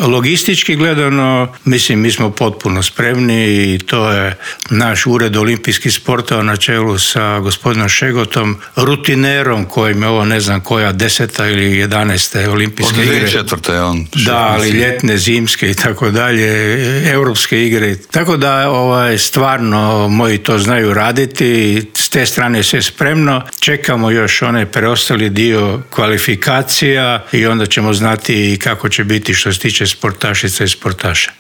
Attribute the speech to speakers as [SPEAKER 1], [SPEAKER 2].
[SPEAKER 1] Logistički gledano, mislim, mi smo potpuno spremni i to je naš ured olimpijskih sportova na čelu sa gospodinom Šegotom, rutinerom kojim je ovo ne znam koja 10. ili 11. olimpijske igre.
[SPEAKER 2] Od 2004. je on.
[SPEAKER 1] Da, ali ljetne, zimske i tako dalje, europske igre. Tako da stvarno moji to znaju raditi, s te strane sve spremno. Čekamo još onaj preostali dio kvalifikacija i onda ćemo znati kako će biti što se tiče sportašica i sportaša.